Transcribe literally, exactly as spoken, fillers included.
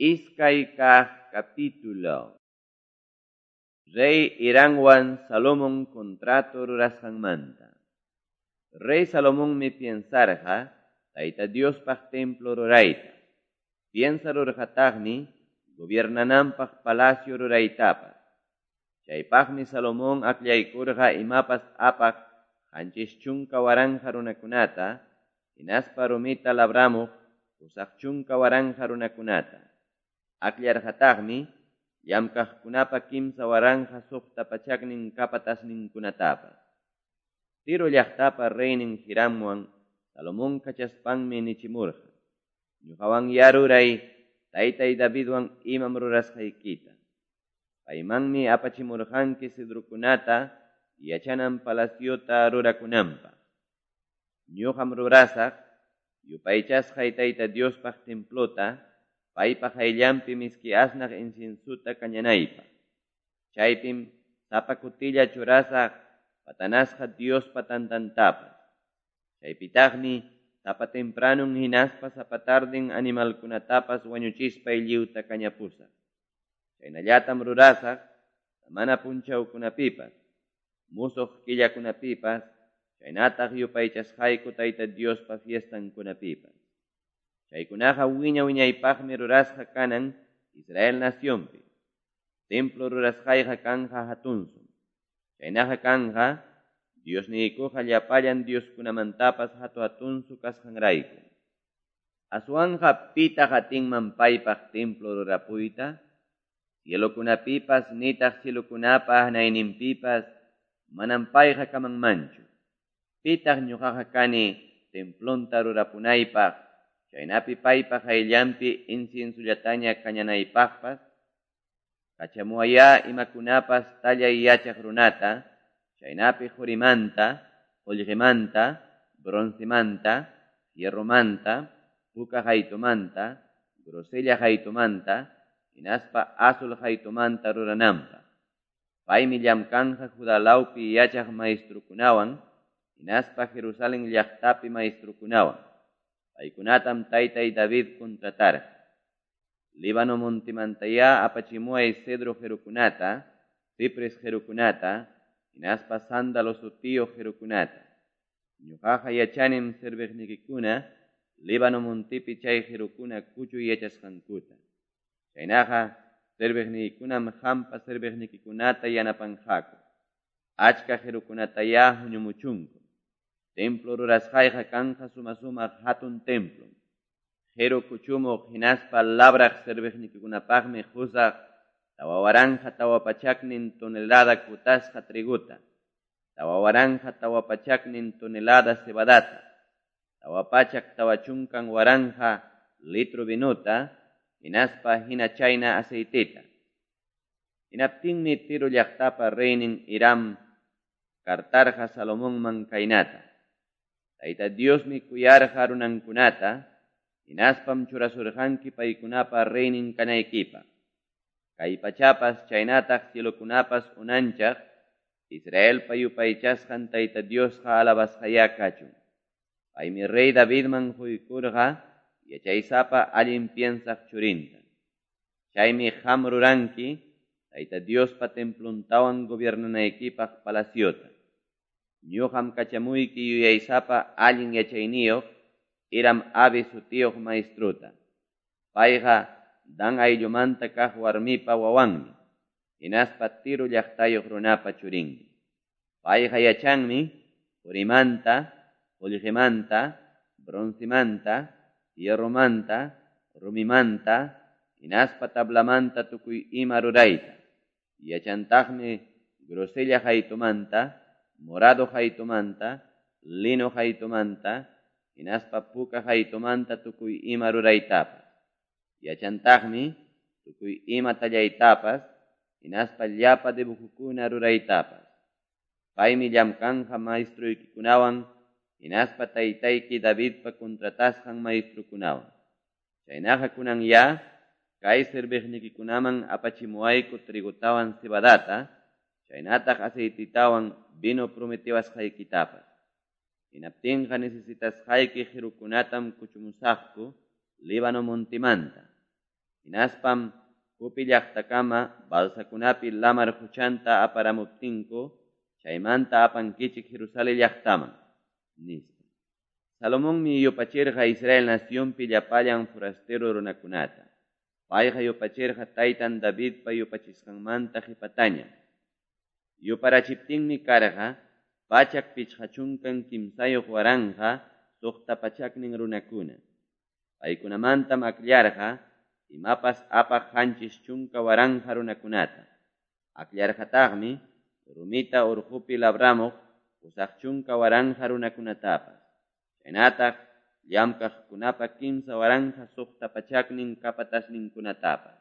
Iskay kaq capítulo. Rey Hiramwan Salomón contrato rurasqanmanta. Rey Salomonmi piensarqa Tayta Diospaq templo rurayta. Piensarurqataqmi gobiernananpaq palacio ruraytapas. Chaypaqmi Salomón akllaykurqa imapas apaq qanchis chunka waranqa runakunata, hinaspa rumita labramuq pusaq chunka waranqa runakunata. Akllarqataqmi llamkaqkunapa kimsa waranqa suqta pachaknin capatasninkunatapas. Tiro llaqtapa reynin Hiramwan Salomón kachaspanmi nichimurqa: Ñuqawan ruray taytay Davidwan imam rurasqaykita. Paymanmi apachimurqanki cedrokunata yachanan palaciota rurakunanpaq. Ñuqam rurasaq yupaychasqay Tayta Diospaq templota, paypa qayllanpi miski asnaq inciensuta kañanaypaq. Chaypim sapa kutilla churasaq patanasqa Diospa tantantapas. Chaypitaqmi sapa tempranun hinaspa sapa tarden animalkunatapas wañuchispay lliwta kañapusaq. Chaynallatam rurasaq samana punchawkunapipas, musuq killakunapipas, chaynataq yupaychasqayku Tayta Diospa fiestankunapipas. Chaykunaqa wiña wiñaypaqmi rurasqa kanan Israel nacionpi. Templo rurasqayqa kanja hatunsum. Chaynaqa kanja Diosniykuqa llapallan dioskunamantapas hatu hatunsu kasqanrayku. Aswanqa pitaq atinman paypaq templo rurapuyta? Cielokunapipas nitaq cielokunapa hanayninpipas manam payqa kamanmanchu. Pitaq ñuqaqa kani templonta rurapunaypaq, chaynapi paypa qayllanpi inciensullataña kañanaypaqpas? Kachamuwayá imakunapas tallay yachaq runata, chaynapi qurimanta, qullqimanta, broncemanta, fierromanta, puka qaytumanta, grosella qaytumanta, hinaspa azul qaytumanta rurananpaq. Paymi llamkanja Judá lawpi yachaq maestrukunawan, hinaspa Jerusalén llaqtapi maestrukunawan. Paykunatam taytay David contratarqa. Líbano montimantayá apachimuway cedro qirukunata, cipres qirukunata, hinaspa sándalo sutiyuq qirukunata. Ñuqaqa yachanim serviqnikikuna Líbano montipi chay qirukuna kuchuy yachasqankuta. Chaynaqa serviqniykunam qampa serviqnikikunata yanapanqaku. Achka qirukunatayá huñumuchunku. Templo rurasqayqa kanja suma-sumaq hatun templom. Qiru kuchumuq hinaspa labraq serviqnikikunapaqmi qusaq tawa waranqa tawa pachaknin tonelada kutasqa triguta, tawa waranqa tawa pachaknin tonelada cebadata, tawa pachak tawa chunkan waranqa litro vinuta, hinaspa hina chayna aceiteta. Hinaptinmi Tiro llaqtapa reynin Hiram kartarqa Salomonman kaynata: Tayta Diosmi kuyarqa runankunata, hinaspam churasurqanki paykunapa reynin kanaykipaq. Kay pachapas chaynataq cielokunapas unanchaq, Israelpa yupaychasqan Tayta Diosqa alabasqayá kachun. Paymi rey Davidman quykurqa yachaysapa allin piensaq churinta. Chaymi qam ruranki Tayta Diospa templontawan gobiernanaykipaq palaciota. Ñuqam kachamuyki yuyaysapa allin yachayniyuq Hiram Abi sutiyuq maestruta. Payqa Dan ayllumanta kaq warmipa wawanmi, hinaspa Tiro llaqtayuq runapa churinmi. Payqa yachanmi qurimanta, qullqimanta, broncemanta, hierromanta, rumimanta, hinaspa tablamanta tukuy ima rurayta. Yachantaqmi grosella qaytumanta, morado qaytumanta, lino qaytumanta, hinaspa puka qaytumanta tukuy ima ruraytapas. Yachantaqmi tukuy ima tallaytapas, hinaspa llapa dibujukuna ruraytapas. Paymi llamkanja maestruykikunawan, hinaspa taytayki Davidpa contratasqan maestrukunawan. Chaynaqa kunan ya, kay serviqnikikunaman apachimuwayku trigotawan cebadata, chaynataq aceititawan vino prometiwasqaykitapas. Hinaptinqa necesitasqayki qirukunatam kuchumusaqku Líbano montimanta. Hinaspam Jope llaqtakama balsakunapi lamar qochanta aparamuptinku chaymanta apankichik Jerusalen llaqtaman, nispa. Salomonmi yupachirqa Israel nacionpi llapallan forastero runakunata. Payqa yupachirqa taytan Davidpa yupachisqanmanta qepatañam. Yuparachiptinmi karqa pachak pichqa chunkan kimsayoq waranqa soqta pachaknin runakuna. Paykunamantam akllarqa imapas apaq qanchis chunka waranqa runakunata. Akllarqataqmi rumita urqupi labramuq pusaq chunka waranqa runakunatapas. Chaynataq llamkaqkunapa kimsa waranqa suqta pachaknin capatasninkunatapas.